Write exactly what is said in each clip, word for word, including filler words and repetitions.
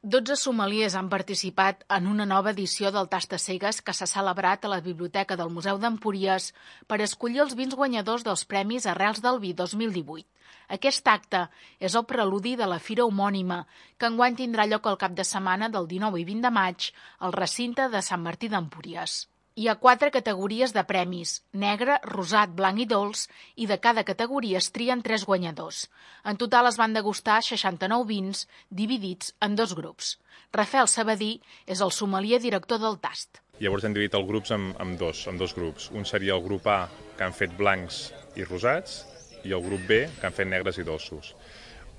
Dotze sommeliers han participat en una nova edició del Tastacegues que s'ha celebrat a la Biblioteca del Museu d'Empúries per escollir els vins guanyadors dels Premis Arrels del Vi dos mil divuit. Aquest acte és el preludi de la fira homònima, que enguany tindrà lloc el cap de setmana del dinou i vint de maig al recinte de Sant Martí d'Empúries. Hi ha quatre categories de premis, negre, rosat, blanc i dolç, i de cada categoria es trien tres guanyadors. En total es van degustar seixanta-nou vins, dividits en dos grups. Rafael Sabadí és el sommelier director del Tast. Llavors hem dividit els grups en, en, dos, en dos grups. Un seria el grup A, que han fet blancs i rosats, i el grup B, que han fet negres i dolços.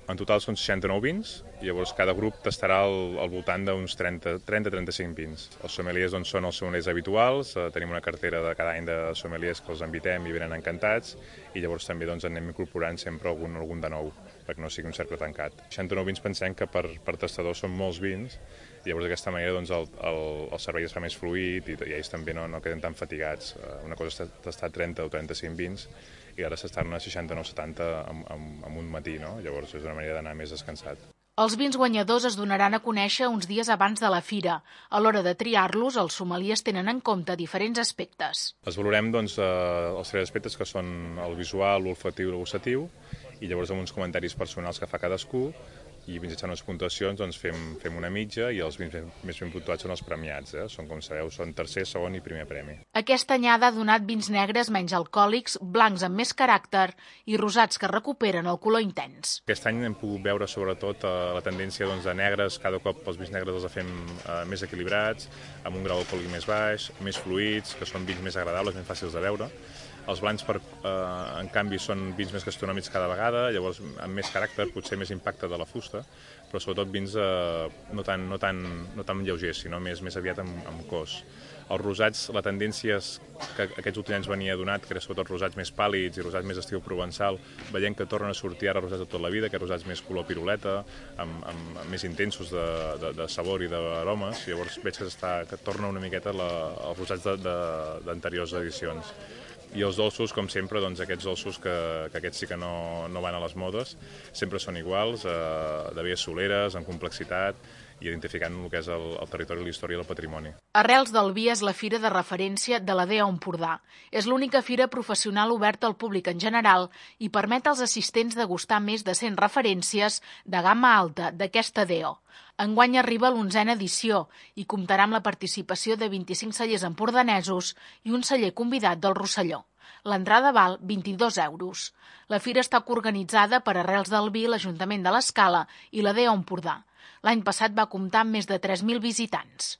En total són seixanta-nou vins, i llavors cada grup tastarà al, al voltant d'uns trenta a trenta-cinc vins. Els sommeliers doncs, són els sommeliers habituals, eh, tenim una cartera de cada any de sommeliers que els invitem i venen encantats, i llavors també doncs, anem incorporant sempre algun, algun de nou, perquè no sigui un cercle tancat. seixanta-nou vins pensem que per, per tastadors són molts vins, i llavors d'aquesta manera doncs, el, el, el servei es fa més fluid i, i ells també no, no queden tan fatigats. Una cosa és tastar trenta o trenta-cinc vins, i ara s'estan a seixanta-nou setanta en, en, en un matí, no? Llavors és una manera d'anar més descansat. Els vins guanyadors es donaran a conèixer uns dies abans de la fira. A l'hora de triar-los, els sommeliers tenen en compte diferents aspectes. Els valorem doncs, eh, els tres aspectes que són el visual, l'olfatiu i el gustatiu, i llavors amb uns comentaris personals que fa cadascú, i mitjançant unes puntuacions doncs, fem, fem una mitja, i els vins més ben puntuats són els premiats. Eh? Són, com sabeu, són tercer, segon i primer premi. Aquesta anyada ha donat vins negres menys alcohòlics, blancs amb més caràcter i rosats que recuperen el color intens. Aquest any hem pogut veure sobretot eh, la tendència doncs, de negres. Cada cop els vins negres els fem eh, més equilibrats, amb un grau alcohòlic més baix, més fluids, que són vins més agradables, més fàcils de veure. Els blancs, per, eh, en canvi, són vins més gastronòmics cada vegada, llavors amb més caràcter, potser més impacte de la fusta, però sobretot vins eh, no, tan, no, tan, no tan lleugers, sinó més, més aviat amb, amb cos. Els rosats, la tendència és que aquests últims anys venia donat, que era sobretot rosats més pàl·lids i rosats més estil provençal, veient que tornen a sortir ara rosats de tota la vida, que rosats més color piruleta, amb, amb, amb més intensos de, de, de sabor i d'aromes, llavors veig que, està, que torna una miqueta la, els rosats d'anteriors edicions. I els dolços, com sempre, doncs aquests dolços que, que aquests sí que no, no van a les modes, sempre són iguals, eh, de vies soleres, en complexitat, i identificant el que és el, el territori, la història i el patrimoni. Arrels del Vi és la fira de referència de la D E O Empordà. És l'única fira professional oberta al públic en general i permet als assistents degustar més de cent referències de gamma alta d'aquesta D E O. Enguany arriba l'onzena edició i comptarà amb la participació de vint-i-cinc cellers empordanesos i un celler convidat del Rosselló. L'entrada val vint-i-dos euros. La fira està coorganitzada per Arrels del Vi, l'Ajuntament de l'Escala i la D E O Empordà. L'any passat va comptar amb més de tres mil visitants.